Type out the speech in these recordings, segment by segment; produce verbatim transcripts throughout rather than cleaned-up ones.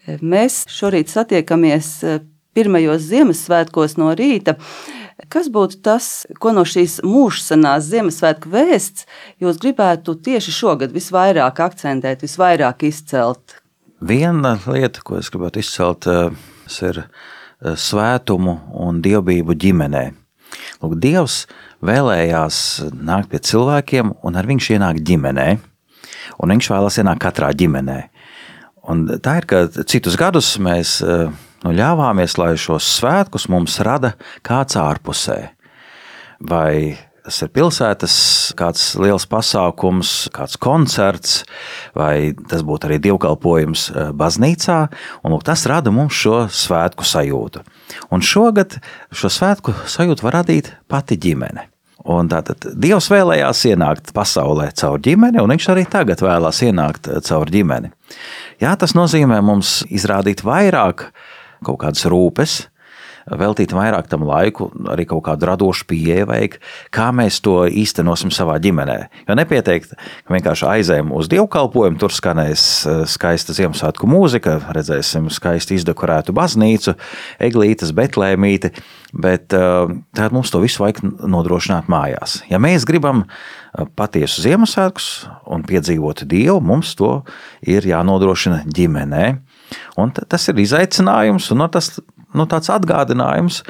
Mēs šorīt satiekamies pirmajos Ziemassvētkos no rīta. Kas būtu tas, ko no šīs mūžsanās Ziemassvētku vēsts jūs gribētu tieši šogad visvairāk akcentēt, visvairāk izcelt? Viena lieta, ko es gribētu izcelt, ir svētumu un dievbijību ģimenē. Lūk, Dievs vēlējās nākt pie cilvēkiem, un ar viņš ienāk ģimenē, un viņš vēlās ienākt katrā ģimenē. Un tā ir, ka citus gadus mēs nu, ļāvāmies, lai šos svētkus mums rada kāds ārpusē. Vai tas ir pilsētas kāds liels pasākums, kāds koncerts, vai tas būtu arī dievkalpojums baznīcā, un lūk, tas rada mums šo svētku sajūtu. Un šogad šo svētku sajūtu var radīt pati ģimene. Un tātad Dievs vēlējās ienākt pasaulē caur ģimeni, un viņš arī tagad vēlās ienākt caur ģimeni. Jā, tas nozīmē mums izrādīt vairāk kaut kādas rūpes, veltīt vairāk tam laiku, arī kaut kādu radošu pieeju vajag, kā mēs to īstenosim savā ģimenē. Jo nepietiek, ka vienkārši aizējam uz dievkalpojumu, tur skanēs skaista Ziemassvētku mūzika, redzēsim skaisti izdekorētu baznīcu, eglītes, betlēmīti, bet tad mums to visu vajag nodrošināt mājās. Ja mēs gribam patiesu Ziemassvētkus un piedzīvot Dievu, mums to ir jānodrošina ģimenē. Un tas ir izaicinājums, un no tas nu, tāds atgādinājums,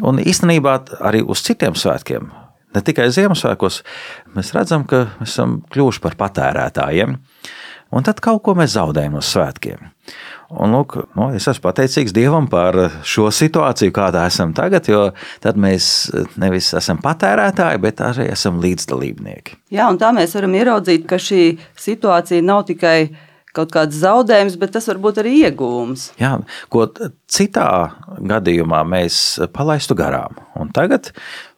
un īstenībā arī uz citiem svētkiem, ne tikai Ziemassvētkos, mēs redzam, ka mēs esam kļuvuši par patērētājiem, un tad kaut ko mēs zaudējam no svētkiem. Un, lūk, nu, es esmu pateicīgs Dievam par šo situāciju, kādā esam tagad, jo tad mēs nevis esam patērētāji, bet arī esam līdzdalībnieki. Jā, un tā mēs varam ieraudzīt, ka šī situācija nav tikai kaut kāds zaudējums, bet tas var būt arī ieguvums. Jā, ko citā gadījumā mēs palaistu garām, un tagad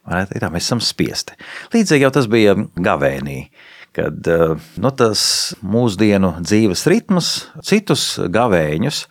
tā, mēs esam spiesti. Līdzīgi jau tas bija gavēnī, kad nu, tas mūsdienu dzīves ritms, citus gavēņus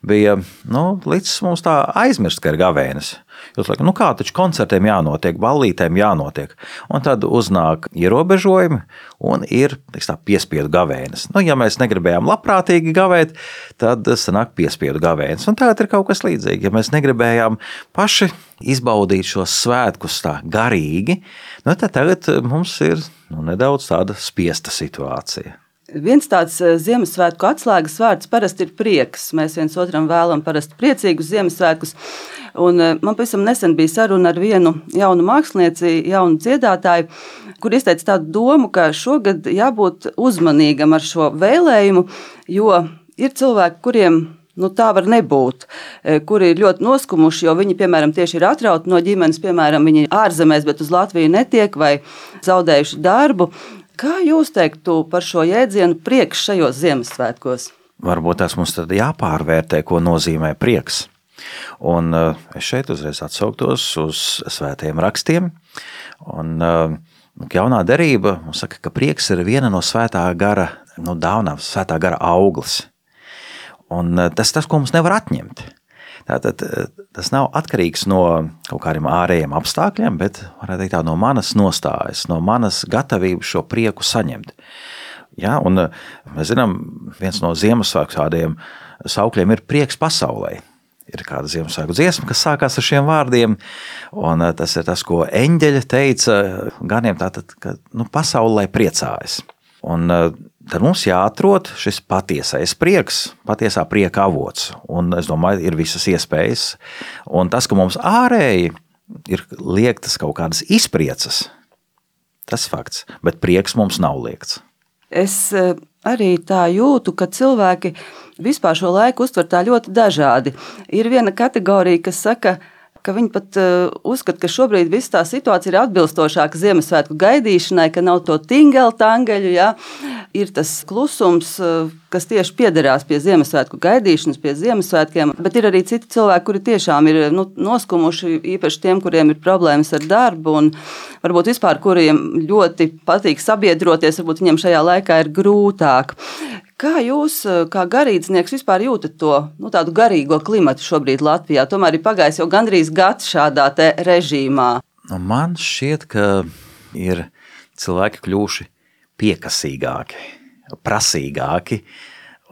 bija nu, līdz mums tā aizmirst, ka ir gavēnis. Jūs laikam, nu kā taču koncertiem jānotiek, ballītēm jānotiek, un tad uznāk ierobežojumi un ir tā, piespiedu gavēnis. Nu, ja mēs negribējām labprātīgi gavēt, tad sanāk piespiedu gavēnis, un tagad ir kaut kas līdzīgi. Ja mēs negribējām paši izbaudīt šos svētkus tā garīgi, nu, tad tagad mums ir nu, nedaudz tāda spiesta situācija. Viens tāds Ziemassvētku atslēgas vārds parasti ir prieks. Mēs viens otram vēlam parasti priecīgus Ziemassvētkus. Un man pavisam nesen bija saruna ar vienu jaunu mākslinieci, jaunu dziedātāju, kur izteica tādu domu, ka šogad jābūt uzmanīgam ar šo vēlējumu, jo ir cilvēki, kuriem nu, tā var nebūt, kuri ir ļoti noskumuši, jo viņi, piemēram, tieši ir atrauti no ģimenes, piemēram, viņi ārzemēs, bet uz Latviju netiek vai zaudējuši darbu. Kā jūs teiktu par šo jēdzienu prieks šajos Ziemassvētkos? Varbūt tas mums tad jāpārvērtē, ko nozīmē prieks. Un es šeit uzreiz atsauktos uz svētajiem rakstiem. Un jaunā derība mums saka, ka prieks ir viena no svētā gara, nu, dāvanām, svētā gara auglis. Un tas tas, ko mums nevar atņemt. Tātad tas nav atkarīgs no kaut kādiem ārējiem apstākļiem, bet varētu teikt tā, no manas nostājas, no manas gatavības šo prieku saņemt. Ja, un mēs zinām, viens no Ziemassvētku tādiem saukļiem ir prieks pasaulē. Ir kāda Ziemassvētku dziesma, kas sākās ar šiem vārdiem, un tas ir tas, ko eņģeļi teica ganiem, tātad, ka nu, pasaulē priecājas. Un tad mums jāatrod šis patiesais prieks, patiesā prieka avots, un es domāju, ir visas iespējas, un tas, ka mums ārēji ir liektas kaut kādas izpriecas, tas fakts, bet prieks mums nav liekts. Es arī tā jūtu, ka cilvēki vispār šo laiku uztver tā ļoti dažādi. Ir viena kategorija, kas saka, ka viņi pat uh, uzskata, ka šobrīd viss tā situācija ir atbilstošāka Ziemassvētku gaidīšanai, ka nav to tingeli tangeļu, ja? Ir tas klusums, uh, kas tieši piederās pie Ziemassvētku gaidīšanas, pie Ziemassvētkiem, bet ir arī citi cilvēki, kuri tiešām ir nu, noskumuši, īpaši tiem, kuriem ir problēmas ar darbu un varbūt vispār, kuriem ļoti patīk sabiedroties, varbūt viņiem šajā laikā ir grūtāk. Kā jūs, kā garīdznieks, vispār jūtat to nu, tādu garīgo klimatu šobrīd Latvijā? Tomēr ir pagājis jau gandrīz gads šādā te režīmā. Man šķiet, ka ir cilvēki kļuvuši piekasīgāki, prasīgāki,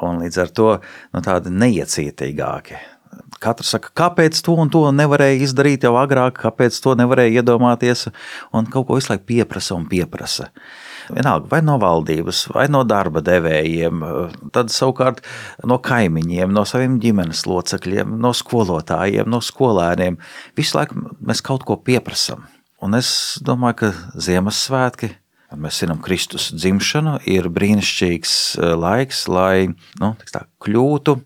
un līdz ar to nu, tādi neiecietīgāki. Katrs saka, kāpēc to un to nevarēja izdarīt jau agrāk, kāpēc to nevarēja iedomāties, un kaut ko visu laiku pieprasa un pieprasa. Vienalga, vai no valdības, vai no darba devējiem, tad savukārt no kaimiņiem, no saviem ģimenes locekļiem, no skolotājiem, no skolēniem. Visu laiku mēs kaut ko pieprasam. Un es domāju, ka Ziemassvētki, mēs zinām Kristus dzimšanu, ir brīnišķīgs laiks, lai nu, tā, kļūtu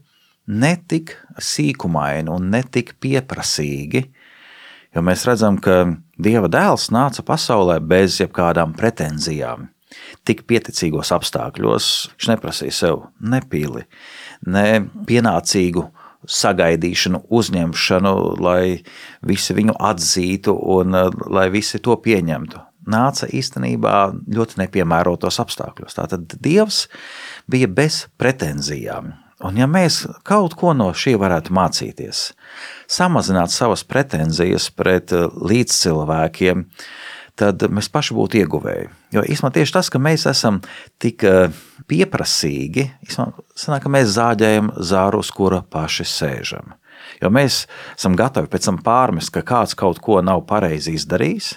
ne tik sīkumaini un ne tik pieprasīgi, jo mēs redzam, ka Dieva dēls nāca pasaulē bez jebkādām pretenzijām. Tik pieticīgos apstākļos viņš neprasīja sev ne pili, ne pienācīgu sagaidīšanu, uzņemšanu, lai visi viņu atzītu un lai visi to pieņemtu. Nāca īstenībā ļoti nepiemērotos apstākļos. Tātad Dievs bija bez pretenzijām. Un ja mēs kaut ko no šī varētu mācīties, samazināt savas pretenzijas pret līdzcilvēkiem, tad mēs paši būtu ieguvēji. Jo īstenībā tieši tas, ka mēs esam tik pieprasīgi, īstenībā sanāk, ka mēs zāģējam zāru, uz kura paši sēžam. Jo mēs esam gatavi pēc tam pārmest, ka kāds kaut ko nav pareizi izdarījis,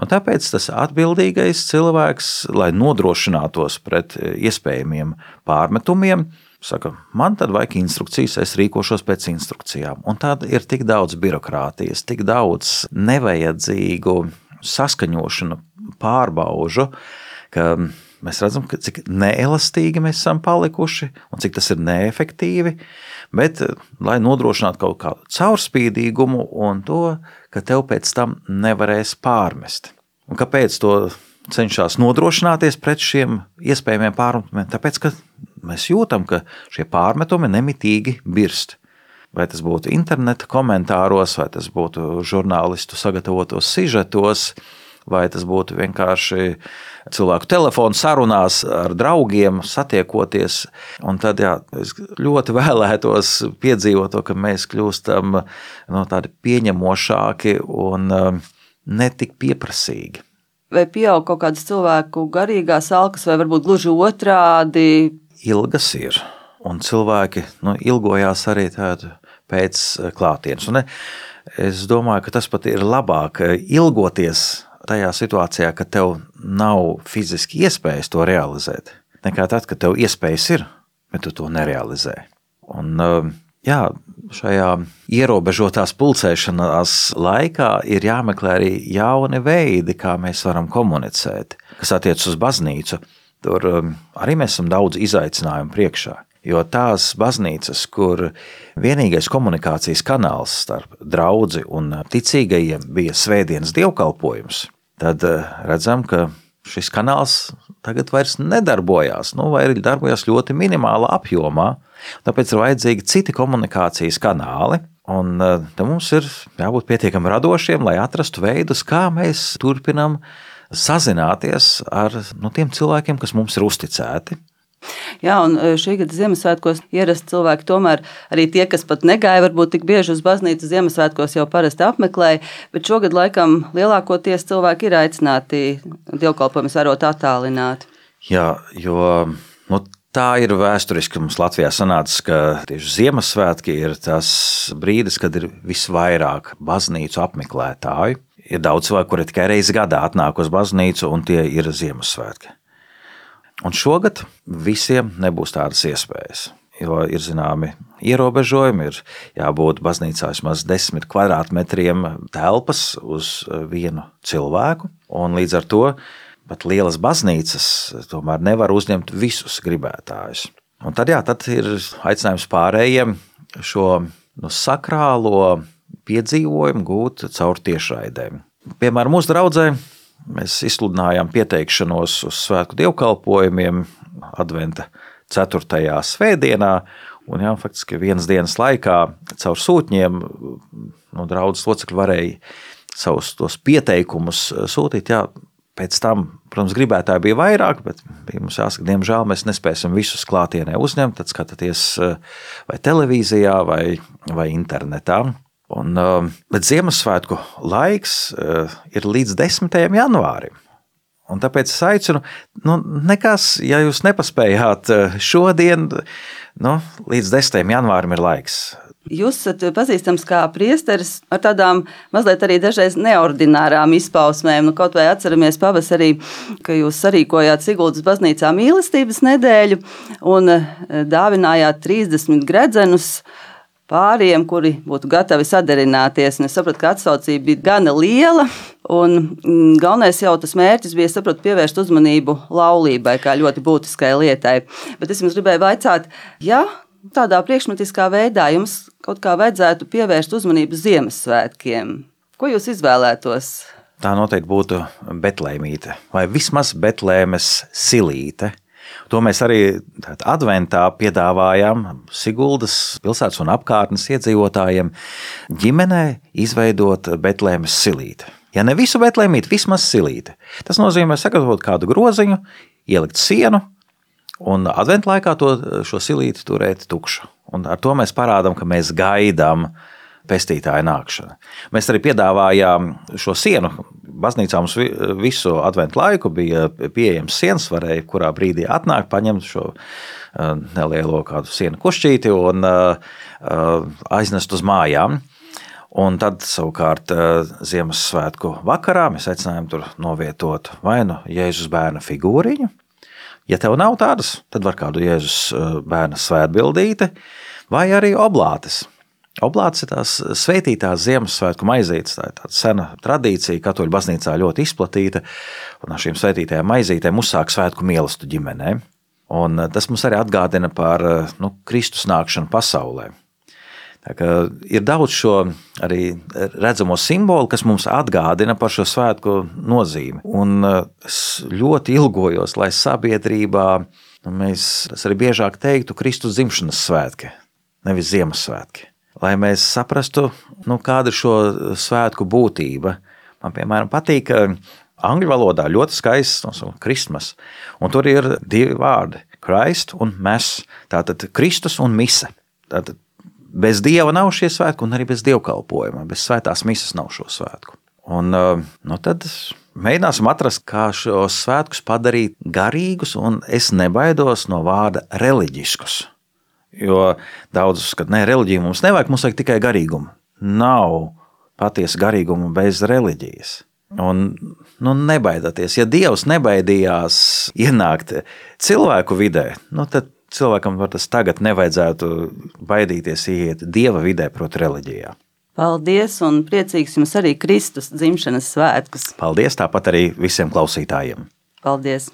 un tāpēc tas atbildīgais cilvēks, lai nodrošinātos pret iespējamiem pārmetumiem, saka, man tad vajag instrukcijas, es rīkošos pēc instrukcijām. Un tad ir tik daudz birokrātijas, tik daudz nevajadzīgu saskaņošanu, pārbaužu, ka mēs redzam, ka cik neelastīgi mēs esam palikuši un cik tas ir neefektīvi, bet lai nodrošinātu kaut kādu caurspīdīgumu un to, ka tev pēc tam nevarēs pārmest. Un kāpēc to cenšas nodrošināties pret šiem iespējamiem pārmetumiem? Tāpēc, ka mēs jūtam, ka šie pārmetumi nemitīgi birst. Vai tas būtu interneta komentāros, vai tas būtu žurnālistu sagatavotos sižetos, vai tas būtu vienkārši cilvēku telefonu sarunās ar draugiem, satiekoties. Un tad jā, es ļoti vēlētos piedzīvot to, ka mēs kļūstam no, tādi pieņemošāki un netik pieprasīgi. Vai pieaug kaut kādas cilvēku garīgās alkas, vai varbūt gluži otrādi? Ilgas ir, un cilvēki nu, ilgojās arī tādu pēc klātienes. Un es domāju, ka tas pat ir labāk ilgoties tajā situācijā, ka tev nav fiziski iespējas to realizēt, nekā tad, kad tev iespējas ir, bet tu to nerealizē. Un jā, šajā ierobežotās pulcēšanās laikā ir jāmeklē arī jauni veidi, kā mēs varam komunicēt, kas attiec uz baznīcu. Tur arī mēs esam daudz izaicinājumu priekšā, jo tās baznīcas, kur vienīgais komunikācijas kanāls starp draudzi un ticīgajiem bija svētdienas dievkalpojums, tad redzam, ka šis kanāls tagad vairs nedarbojās, nu, vai arī darbojas ļoti minimālā apjomā, tāpēc ir vajadzīgi citi komunikācijas kanāli, un te mums ir jābūt pietiekami radošiem, lai atrastu veidus, kā mēs turpinam sazināties ar nu, tiem cilvēkiem, kas mums ir uzticēti. Jā, un šī gada Ziemassvētkos ierasti cilvēki tomēr arī tie, kas pat negāja varbūt tik bieži uz baznīcu, Ziemassvētkos jau parasti apmeklēja, bet šogad laikam lielākoties cilvēki ir aicināti dievkalpojumus vērot attālināt. Jā, jo nu, tā ir vēsturiski mums Latvijā sanācis, ka tieši Ziemassvētki ir tas brīdis, kad ir visvairāk baznīcu apmeklētāju. Ir daudz cilvēku, kuri tikai reizi gadā atnāk uz baznīcu, un tie ir Ziemassvētki. Un šogad visiem nebūs tādas iespējas, jo ir zināmi ierobežojumi, ir jābūt baznīcā vismaz desmit kvadrātmetriem telpas uz vienu cilvēku, un līdz ar to pat lielas baznīcas tomēr nevar uzņemt visus gribētājus. Un tad, jā, tad ir aicinājums pārējiem šo nu, sakrālo piedzīvojumu gūt caur tiešraidēm. Piemēram, mūsu draudzē mēs izsludinājām pieteikšanos uz svētku dievkalpojumiem adventa ceturtajā svētdienā, un jā, faktiski vienas dienas laikā caur sūtņiem nu, draudzes locekļi varēja savus tos pieteikumus sūtīt. Jā, pēc tam, protams, gribētāji bija vairāk, bet bija mums jāsaka, diemžēl mēs nespēsim visus klātienē uzņemt, tad skatāties vai televīzijā vai, vai internetā. Un, bet Ziemassvētku laiks ir līdz desmitajam janvārim. Un tāpēc es aicinu, nu, nekas, ja jūs nepaspējāt šodien, nu, līdz desmitajam janvārim ir laiks. Jūs esat pazīstams kā priesteris ar tādām mazliet arī dažreiz neordinārām izpausmēm. Nu, kaut vai atceramies pavasarī, ka jūs sarīkojāt Siguldas baznīcā mīlestības nedēļu un dāvinājāt trīsdesmit gredzenus pāriem, kuri būtu gatavi sadarināties. Un es sapratu, ka atsaucība bija gana liela. Un galvenais jau tas mērķis bija, sapratu, pievērst uzmanību laulībai kā ļoti būtiskai lietai. Bet es jums gribēju vaicāt, ja tādā priekšmetiskā veidā jums kaut kā vajadzētu pievērst uzmanību Ziemassvētkiem, ko jūs izvēlētos? Tā noteikti būtu Betlēmīte vai vismaz Betlēmes silīte. To mēs arī adventā piedāvājām Siguldas pilsētas un apkārtnes iedzīvotājiem ģimenē izveidot Betlēmes silīti. Ja ne visu Betlēmīti, vismaz silīti. Tas nozīmē sagatavot kādu groziņu, ielikt sienu un adventu laikā to, šo silīti turēt tukšu. Un ar to mēs parādām, ka mēs gaidām pestītāja nākšanu. Mēs arī piedāvājām šo sienu. Baznīcā mums visu adventu laiku bija pieejams sienas, varēja kurā brīdī atnākt, paņemt šo nelielo kādu sienu kušķīti un aiznest uz mājām. Un tad savukārt Ziemassvētku vakarā mēs aicinājām tur novietot vai nu Jēzus bērna figūriņu. Ja tev nav tādas, tad var kādu Jēzus bērna svētbildīti vai arī oblātes. Oblātes ir tās svētītās Ziemassvētku maizītes, tā ir tāda sena tradīcija, katoļu baznīcā ļoti izplatīta, un ar šīm svētītajām maizītēm uzsāk svētku mīlestību ģimenē. Un tas mums arī atgādina par nu, Kristus nākšanu pasaulē. Tā kā ir daudz šo arī redzamo simbolu, kas mums atgādina par šo svētku nozīmi. Un es ļoti ilgojos, lai sabiedrībā nu, mēs arī biežāk teiktu Kristus dzimšanas svētki, nevis Ziemassvētki. Lai mēs saprastu, nu, kāda ir šo svētku būtība. Man, piemēram, patīk angļu valodā ļoti skaists nosaukt Christmas. Un tur ir divi vārdi – Christ un Mass. Tātad Kristus un mise. Tātad bez Dieva nav šie svētki un arī bez dievkalpojuma. Bez svētās mises nav šo svētku. Un nu, tad mēģināsim atrast, kā šos svētkus padarīt garīgus, un es nebaidos no vārda reliģiskus. Jo daudz uzskata, ne, reliģija mums nevajag, mums vajag tikai garīgumu. Nav patiesa garīguma bez reliģijas. Un nu, nebaidāties. Ja Dievs nebaidījās ienākt cilvēku vidē, nu, tad cilvēkam var tas tagad nevajadzētu baidīties iet Dieva vidē, proti reliģijā. Paldies un priecīgs jums arī Kristus dzimšanas svētkus. Paldies, tāpat arī visiem klausītājiem. Paldies!